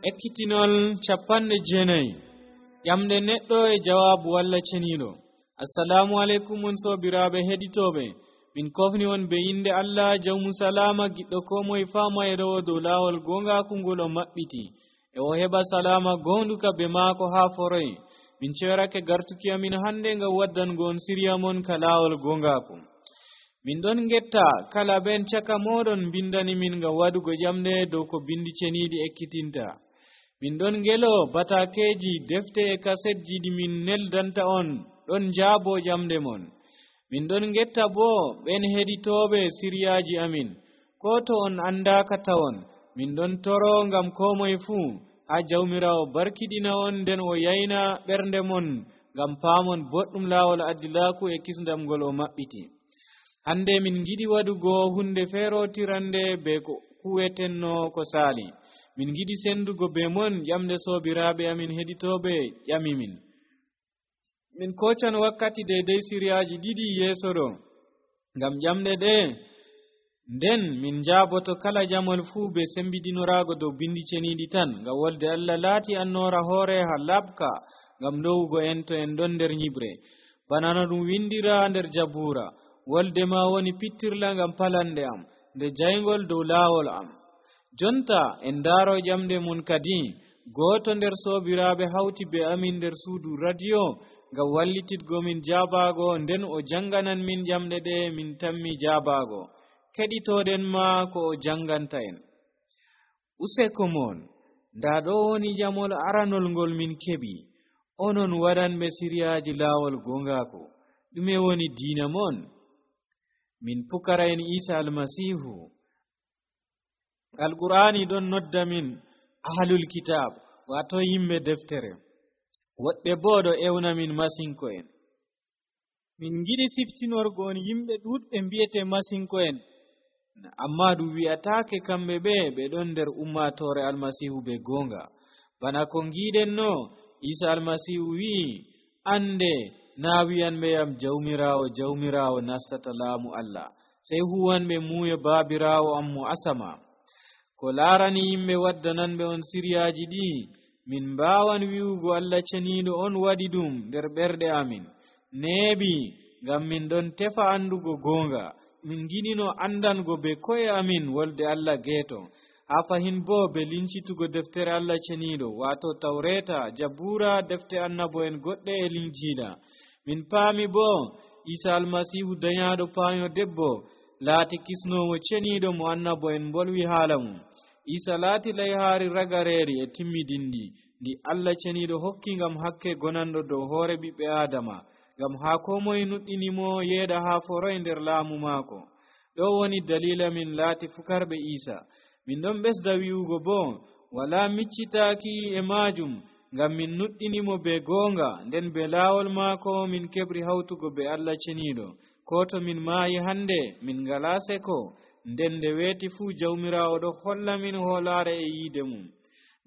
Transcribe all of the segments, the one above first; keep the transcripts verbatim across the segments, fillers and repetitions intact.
ekkitinol capanɗe jeenayi ƴamde neɗɗo e jawaabu walla ceniiɗo. assalamu aleykum on soobiraaɓe heɗitooɓe, min kofni on be inde Allah jawmu salama giɗɗo ko moye faama e rewo dow laawol goongaaku ngol o maɓɓiti e o heɓa salama goonduka be maako haa foroy. min ceerake gartuki amin hannde ngam waddango on siriya mon ka laawol goongaaku. min ɗon getta kala ben caka moɗon bindani min ngam wadugo ƴamde dow ko bindi ceniiɗi ekkitinta. min ɗon ngelo batakeji defte e kasetji ɗi min neldanta on ɗon jaabo ƴamde mon. min ɗon getta bo ɓen heɗitooɓe siriyaaji amin ko to on andaaka tawon. min ɗon toro ngam ko moye fuu haa jawmirawo barkiɗina on nden o yayna ɓernde mon ngam paamon boɗɗum laawol addilaaku e kisndam ngol o maɓɓiti. hande min giɗi waɗugo hunde feerotirande be ko kuwetenno ko saali. min giɗi sendugo be mon ƴamde soobiraaɓe amin heɗitooɓe ƴami min. min kocan wakkati deydey siriyaaji ɗiɗi yeeso ɗo ngam ƴamɗe ɗe, nden min njaaboto kala jamol fuu be sembiɗinoraago dow bindi ceniiɗi tan, ngam wolde Allah laati annoora hoore ha laɓka ngam lowugo en to en ɗon nder nyiɓre. bana no ɗum windira nder jabuura: wolde ma woni pittirla ngam palande am, nde jayngol dow laawol am. jonta en ndaaro ƴamde mun kadi. gooto nder soobiraaɓe hawti be amin nder suudu radio ngam wallititgo min jaabaago, nden o janganan min ƴamɗe ɗe min tammi jaabaago. keɗitooɗen ma ko o janganta en. useko mon, nda ɗo woni jamol aranol ngol min keɓi. onon waɗanɓe siriyaaji laawol goongaaku, ɗume woni diina mon? min pukara en Isa almasihu. alqur'ani ɗon nodda min ahlul kitab, wato yimɓe deftere. woɗɓe bo ɗo ewna min masinko en. min giɗi siftinorgo on yimɓe ɗuɗɓe mbiyete masinko en, amma ɗum wi'ataake kamɓe ɓe ɓe ɗon nder ummatore almasihu be goonga. bana ko giɗen no, Isa almasihu wi'i, ande naa wi'anɓe yam jawmirawo jawmirawo nastata laamu Allah, sey huwanɓe muuyo baabirawo am mo asama. ko laarani yimɓe waddananɓe on siriyaaji ɗi, min mbaawan wi'ugo Allah ceniiɗo on waɗi ɗum nder ɓerɗe amin. neeɓi ngam min ɗon tefa andugo goonga. min giɗino andango be koye amin wolde Allah geeto. haa fahin bo be lincitugo deftere Allah ceniiɗo, waato tawreta, jabuura, defte annabo en goɗɗe e linjiila. min paami bo Isa almasihu dañaaɗo paayo debbo laati kisnowo ceniiɗo mo annabo en bolwi haala mum. Isa laati layhaari ragareeri e timmidindi ndi Allah ceniiɗo hokki ngam hakke gonanɗo dow hoore ɓiɓɓe aadama, ngam haa ko moye nuɗɗinimo yeeɗa haa foroy nder laamu maako. ɗo woni dalila min laati fukarɓe Isa. min ɗon ɓesda wi'ugo bo wala miccitaaki e maajum, ngam min nuɗɗinimo be goonga, nden be laawol maako min keɓri hawtugo be Allah ceniiɗo. ko to min maayi hande min ngalaa seko, nden nde weeti fuu jawmiraawo ɗo holla min hoolaare e yiide mum.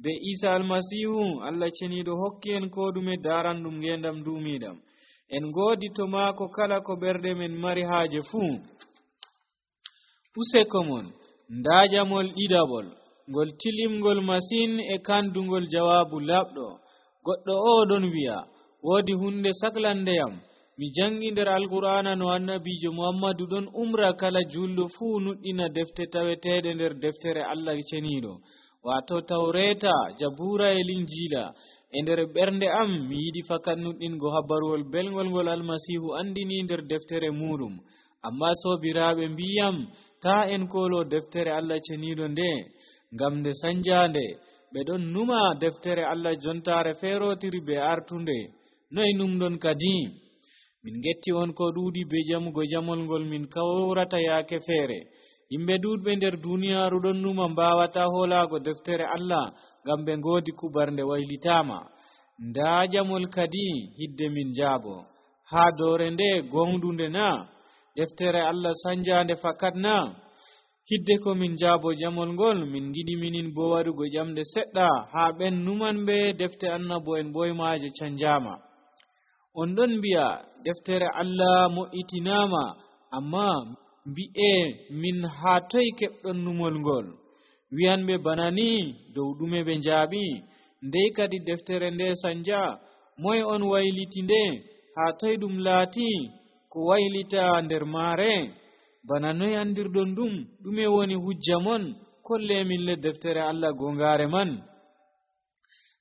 be Isa almasihu Allah ceniiɗo hokki en ko ɗume daaranɗum ngeendam duumiiɗam. en ngoodi to maako kala ko ɓerɗe men mari haaje fuu. useko mon, ndaa jamol ɗiɗaɓol ngol tilimgol masin e kandugol jawaabu laɓɗo. goɗɗo o ɗon wi'a, woodi hunde saklandeyam. mi jangi nder alqur'ana no annabijo muhammadu ɗon umra kala julɗo fuu nuɗɗina defte taweteɗe nder deftere Allah ceniiɗo, wato tawreta, jabuura e linjiila. e nder ɓernde am mi yiɗi fakat nuɗɗingo habaruwol belgol ngol almasihu andini nder deftere muɗum. amma soobiraaɓe mbiyam, ta en kolo deftere Allah ceniiɗo nde, ngam nde sanjande. ɓe ɗon numa deftere Allah jontare feerotiri be artunde. noy numɗon kadi? min getti on ko ɗuuɗi be jamugo jamol ngol min kawrata yaake feere. yimɓe ɗuuɗɓe nder duniyaaru ɗon numa mbawata hoolaago deftere Allah, ngam ɓe ngoodi kubarnde waylitaama. ndaa jamol kadi hidde min jaabo. haa doore nde gonɗunde na? deftere Allah sanjande fakat na? hidde ko min jaabo jamol ngol, min giɗi minin bo waɗugo ƴamɗe seɗɗa haa ɓen numan ɓe defte annabo en ɓoymaaje canjaama. on ɗon mbi'a deftere Allah mo'itinaama, amma mbi'e min haa toy keɓɗon numol ngol? wi'anɓe bana ni dow ɗume ɓe njaaɓi. Ndey kadi deftere nde sanja moye on wayliti nde, haa toy ɗum laati ko waylita nder maare? Bana noy andirɗon ɗum? ɗume woni hujja mon? kolle min le deftere Allah gongaare man.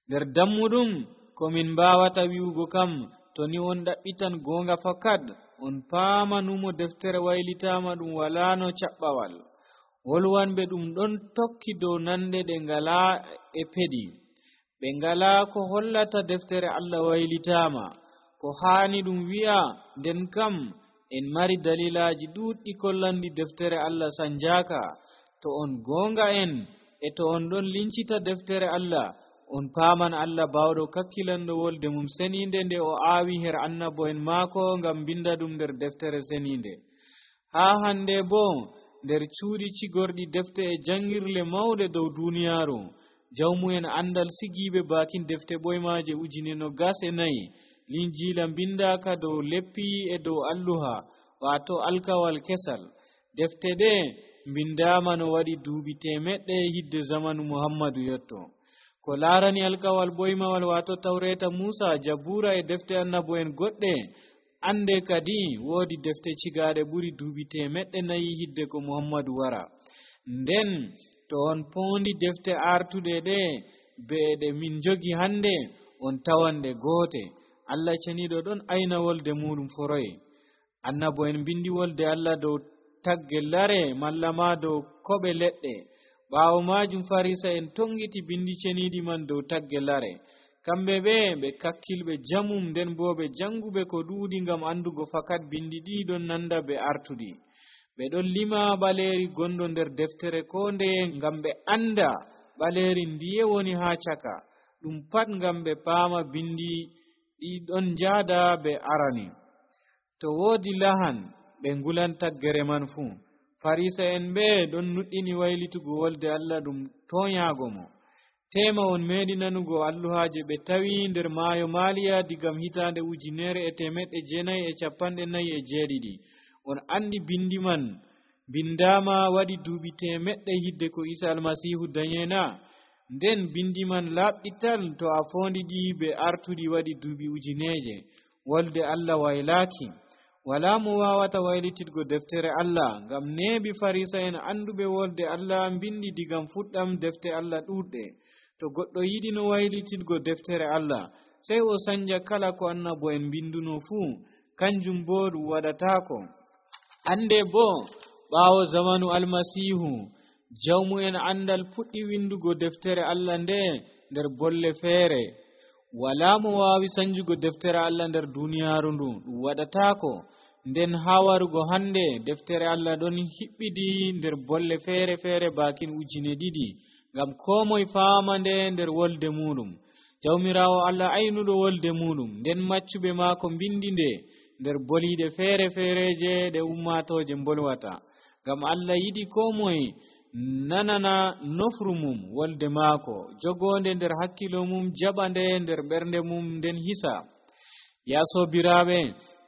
Nder dammuɗum ko min mbawata wi'ugo kam, to ni on ɗaɓɓitan gonga fakat on paamanumo deftere waylitama ɗum wala no caɓɓawal. wolwanɓe ɗum ɗon tokki dow nande ɗe ngala e peɗi, ɓe ngala ko hollata deftere Allah waylitama ko haani ɗum wi'a. nden kam en mari dalilaji ɗuɗɗi kollandi deftere Allah sanjaka. to on gonga en e to on ɗon lincita deftere Allah, on paaman Allah bawɗo kakkilanɗo wolde mum seninde nde o aawi her annabo en maako ngam binda ɗum nder deftere seninde. haa hande bo nder cuuɗi cigorɗi defte e jangirle mawɗe dow duniyaaru, jawmu'en andal sigiiɓe bakin defte ɓoymaje ujine no gas e nayi linjila bindaka dow leppi e dow alluha, wato alkawal kesal. defte ɗe bindama no waɗi duuɓi temeɗɗe hidde zamanu Muhammadu yotto. ko laarani alkawal ɓoymawal wato tawreta Musa, Jabura e defte annabo en goɗɗe, ande kadi woodi defte cigaɗe ɓuri duuɓi temeɗɗe nayi hidde ko Muhammadu wara. nden to on poondi defte artuɗe ɗe be ɗe min jogi hande, on tawanɗe goote. Allah ceniɗo ɗon ayna wolde muɗum foroye. annabo en bindi wolde Allah dow tagge lare malla ma dow koɓe leɗɗe. ɓaawo majum farisa en tongiti bindi ceniɗi man dow tagge lare. kamɓe ɓe ɓe kakkilɓe jamum, nden bo ɓe janguɓe ko ɗuuɗi ngam andugo fakat bindi ɗi ɗon nanda be artuɗi. ɓe ɗon lima ɓaleri gondo nder deftere ko ndeye ngam ɓe anda ɓaleri ndiye woni ha caka. ɗum pat ngam ɓe paama bindi ɗi ɗon jaada ɓe arani. to woodi lahan ɓe ngulan taggere man fuu. farisa en ɓe ɗon nuɗɗini waylitugo wolde Allah ɗum toyago mo. tema on meeɗi nanugo alluhaje ɓe tawi nder maayo Maliya digam hitande ujunere e temeɗɗe jeenayi e capanɗe nayi e jeeɗiɗi. on andi bindi man bindama waɗi duuɓi temeɗɗe hidde ko Isa almasihu danyena. nden bindi man laɓɓital to a fondi ɗi be artuɗi waɗi duuɓi ujineje. wolde Allah waylaki. wala mo wawata waylititgo deftere Allah, ngam neebi farisa en anduɓe wolde Allah bindi digam fuɗɗam defte Allah ɗuɗɗe. to goɗɗo yiɗi no waylititgo deftere Allah, sey o sanja kala ko annabo en binduno fuu, kanjum bo ɗum waɗatako. ande bo ɓaawo zamanu almasihu, jawmu'en andal puɗɗi windugo deftere Allah nde nder bolle feere. wala mo wawi sanjugo deftere Allah nder duniyaaru ndu, ɗum waɗatako. nden ha warugo hande deftere Allah ɗon hiɓɓidi nder bolle feere feere bakin ujine ɗiɗi, ngam ko moye faama nde nder wolde muɗum. jawmirawo Allah aynuɗo wolde muɗum, nden maccuɓe maako bindi nde nder boliɗe feere feereje ɗe ummatoje bolwata. ngam Allah yiɗi ko moye nanana nofru mum wolde maako, jogonde nder hakkilo mum, jaɓande nder ɓernde mum, nden hisa. ya sobiraɓe,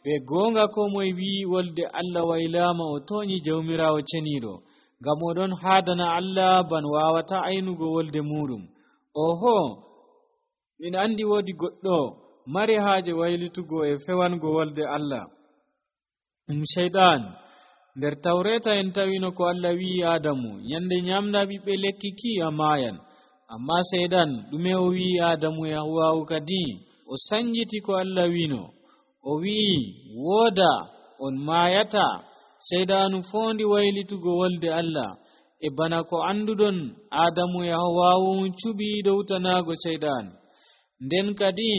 be gonga ko moye wi wolde Allah waylama o toñi jawmirawo ceniɗo, ngam oɗon haadana Allah ban wawata aynugo wolde muɗum. oho, min andi woodi goɗɗo mari haaje waylitugo e fewango wolde Allah, ɗum shaytan. nder tawreta en tawino ko Allah wi Adamu, nyande nyamda ɓiɓɓe lekki ki a mayan. amma shaytan ɗume o wi Adamu e Hawwa'u kadi? o sanjiti ko Allah wino, o wi wooda on mayata. shaydanu fondi waylitugo wolde Allah, e bana ko anduɗon Adamu e Hawwa'u cuɓi dowtanago shaytan. nden kadi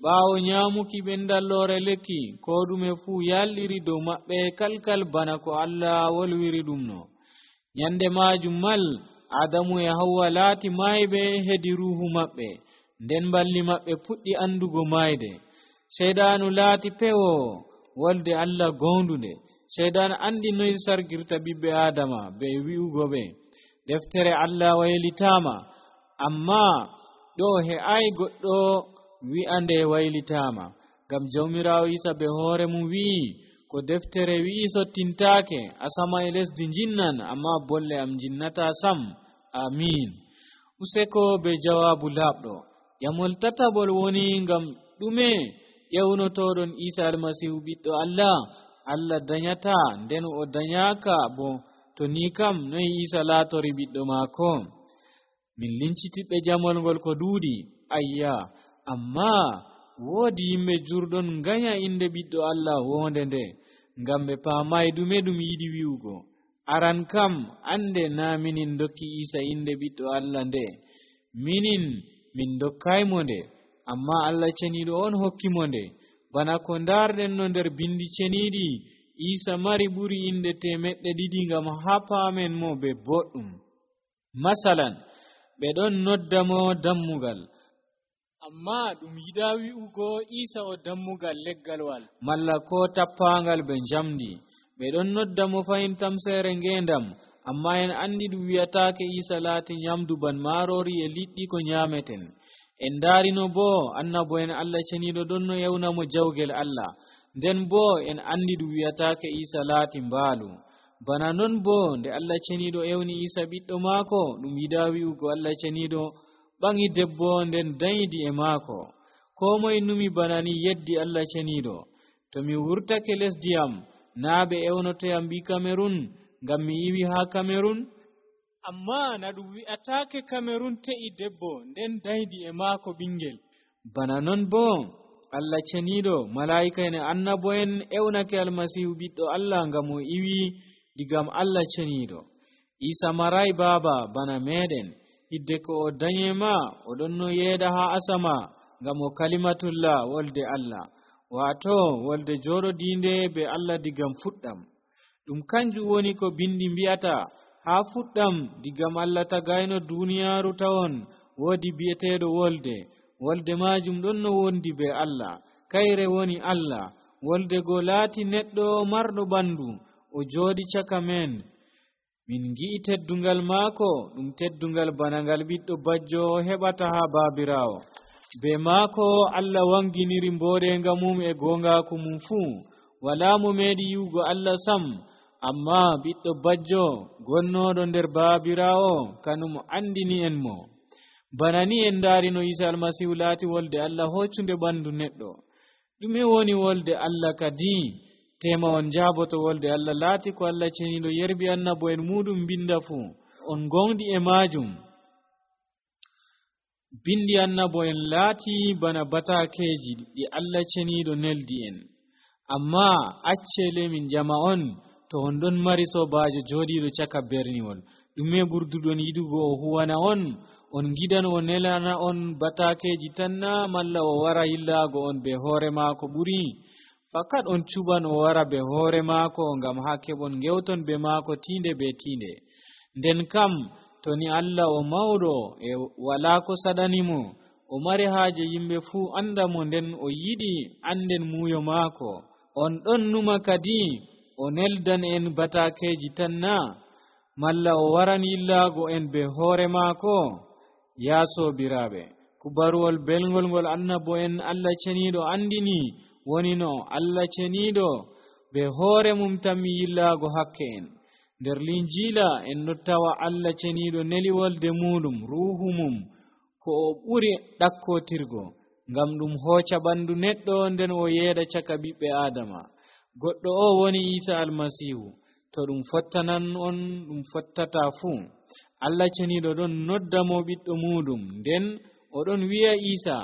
ɓaawo nyamuki ɓendallore lekki, ko ɗume fuu yalɗiri dow maɓɓe kalkal bana ko Allah wolwiri ɗum no. nyande majum mal Adamu e Hawwa laati mayɓe hedi ruhu maɓɓe, nden balli maɓɓe puɗɗi andugo mayde. shaydanu laati pewo wolde Allah gondunde. shaydan andi noy sargirta ɓiɓɓe Adama be wi'ugo ɓe deftere Allah waylitama, amma ɗo he'ai goɗɗo wi'ande waylitama, ngam jawmirawo Isa be hoore mum wi'i ko deftere wi'i sottintaake. asama e lesdi jinnan, amma bolle am jinnata sam. amin. Useko be jawabu labɗo. Yamol tatabol woni ngam ɗume ƴewnotoɗon Isa almasihu ɓiɗɗo Allah Allah danyata nden o danyaka bo to ni kam noy Isa laatori ɓiɗɗo maako. Min lincitiɓe jamol ngol ko duudi ayya amma woodi yimɓe jurɗon nganya inde ɓiɗɗo Allah wonde nde ngam ɓe paamay ɗume ɗum yiɗi wi'ugo. Aran kam ande na minin dokki Isa inde ɓiɗɗo Allah nde, minin min dokkaymo nde, amma Allah ceniiɗo on hokkimo nde. Bana ko ndarɗen no nder bindi ceniiɗi, Isa mari ɓuri inde temeɗɗe ɗiɗi ngam ha paamen mo be boɗɗum. Masalan, ɓe ɗon nodda mo dammugal, amma ɗum yiɗa wi'ugo Isa o dammugal leggalwal malla ko tappangal be njamdi. Ɓe ɗon nodda mo fayin tamsere ngendam, amma en andi ɗum wi'ataake Isa laati nyamdu ban marori e liɗɗi ko nyameten. En darino bo annabo en Allah ceniiɗo ɗon no yewna mo jawgel Allah, nden bo en andi ɗum wi'ataake Isa laati mbaalu. Bana non bo nde Allah ceniiɗo ewni Isa ɓiɗɗo maako, ɗum yiɗa wi'ugo Allah ceniiɗo ɓangi debbo nden dayidi e maako. Ko moye numi bana ni yeddi Allah ceniiɗo. To mi wurtake lesdi am, naa ɓe ewnotoyam mbi Kamerun ngam mi iwi ha Kamerun, amma na ɗum wi'ataake Kamerun te'i debbo nden daydi e maako ɓingel. Bana non bo Allah ceniiɗo, malaa'ika en annabo en ewnake almasihu ɓiɗɗo Allah ngam o iwi digam Allah ceniiɗo. Isa maray baaba bana meɗen, hidde ko o danyema o ɗon no yeeda ha asama ngam o kalimatullah wolde Allah, waato wolde jooɗodiinde be Allah digam fuɗɗam. Ɗum kanjum woni ko bindi mbi'ata ha fuɗɗam digam Allah tagayno duniyaaru tawon woodi bi'eteeɗo wolde. Wolde majum ɗon no wondi be Allah, kayre woni Allah. Wolde go laati neɗɗo marɗo ɓandu, o jooɗi caka men. Min gi'i teddungal maako, ɗum teddungal bana ngal ɓiɗɗo bajjo heɓata ha baabirawo. Be maako Allah wanginiri mboɗenga mum e gongaku mum fuu. Wala mo meeɗi yi'ugo Allah sam, amma ɓiɗɗo bajjo gonnoɗo nder baabirawo kanum andini en mo. Bana ni en darino Isa almasihu laati wolde Allah hoccunde ɓandu neɗɗo. Ɗume woni wolde Allah kadi? Tema on jaaboto wolde Allah laati ko Allah ceniiɗo yerbi annabo en muɗum binda fuu. On gondi e majum. Bindi annabo en laati bana batakeji ɗi Allah ceniiɗo neldi en. Amma accele min jama on to on ɗon mari sobajo jooɗiɗo caka berniwol, ɗume ɓurduɗon yiɗugo o huwana on? On gidan o nelana on batakeji tanna, malla o wara yillago on be hoore maako ɓuri? Fakat on cuban o wara be hoore maako ngam ha keɓon gewton be maako tinde be tinde. Nden kam to ni Allah o mawɗo e wala ko saɗanimo, o mari haaje yimɓe fuu anda mo, nden o yiɗi anden muuyo maako. On ɗon numa kadi o neldan en batakeji tanna, malla o waran yillago en be hoore maako? Ya sobiraɓe, kubaruwol belgol ngol annabo en Allah ceniiɗo andini woni no Allah ceniiɗo be hoore mum tammi yillago hakke en. Nder linjila en ɗo tawa Allah ceniiɗo neli wolde muɗum ruhu mum ko o ɓuri ɗakkotirgo ngam ɗum hooca ɓandu neɗɗo nden o yeeɗa caka ɓiɓɓe Adama. Goɗɗo o woni Isa almasihu. To ɗum fottanan on ɗum fottata fuu. Allah ceniiɗo ɗon nodda mo ɓiɗɗo muɗum, nden o ɗon wi'a Isa,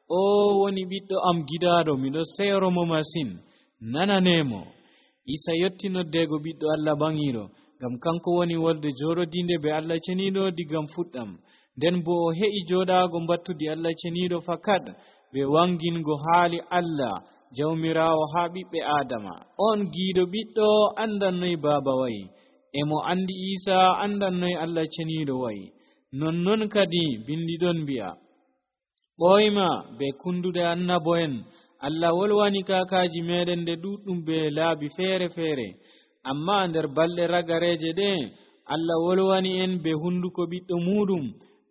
o woni ɓiɗɗo am gidaɗo, miɗo seyro mo masin, nananemo. Isa yotti noddego ɓiɗɗo Allah bangiɗo, ngam kanko woni wolde jooɗodinde be Allah ceniiɗo digam fuɗɗam. Nden bo o he'i jooɗago mbattudi Allah ceniiɗo fakat be wangingo haali Allah jawmirawo ha ɓiɓɓe Adama. On giiɗo ɓiɗɗo andan noy baaba wayi, emo andi Isa andan noy Allah ceniiɗo wayi. Nonnon kadi bindi ɗon mbi'a, ɓoyma be kundude annabo en. Allah wolwani kakaji meɗen nde ɗuɗɗum be laabi feere feere, amma nder balɗe ragareje ɗe Allah wolwani en be hunduko ɓiɗɗo muɗum.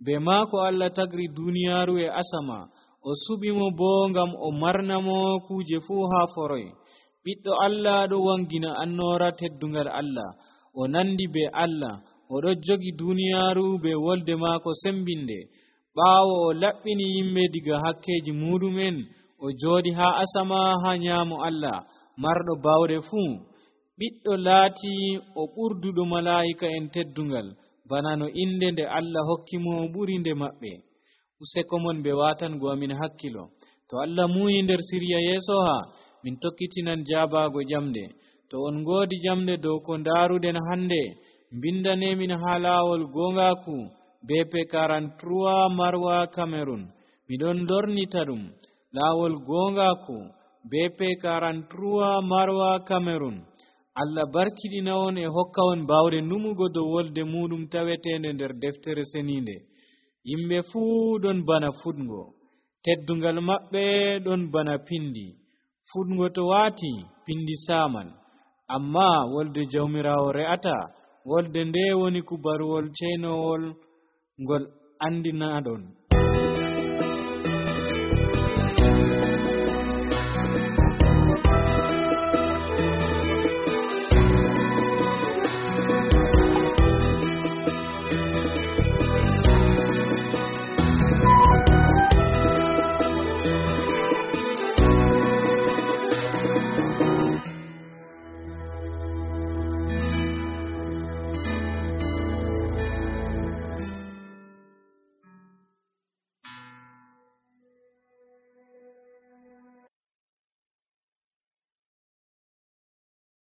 Be maako Allah tagri duniyaaru e asama, o suɓimo bo ngam o marnamo kuje fuu ha foroy. Ɓiɗɗo Allah ɗo wangina annora teddungal Allah, o nandi be Allah, o oɗo jogi duniyaaru be wolde maako sembinde ɓaawo o laɓɓini yimɓe diga hakkeji muɗumen o jooɗi haa asama haa nyaamo Allah marɗo bawɗe fuu ɓiɗɗo laati o ɓurduɗo malaa'ika en teddungal bana no inde nde Allah hokki mo ɓuri nde maɓɓe. useko mon ɓe watango amin hakkilo to Allah muyi nder siriya yeeso ha min tokkitinan jaabago jamde to on ngoodi jamde dow ko ndaruɗen hande mbindanemin haa laawol gongaku B P quarante-trois Marwa Cameroon miɗon lornita ɗum laawol gongaku B P quarante-trois Marwa Cameroon. Allah barkiɗina on e hokka on bawde numugo dow wolde muɗum tawetende nder deftere seninde. Yimɓe fuu ɗon bana fuɗgo teddungal maɓɓe ɗon bana pindi fuɗgo to waati pindi saman amma wolde jawmirawo re'ata wolde nde woni kubaruwol ceenowol ngol andinaɗon.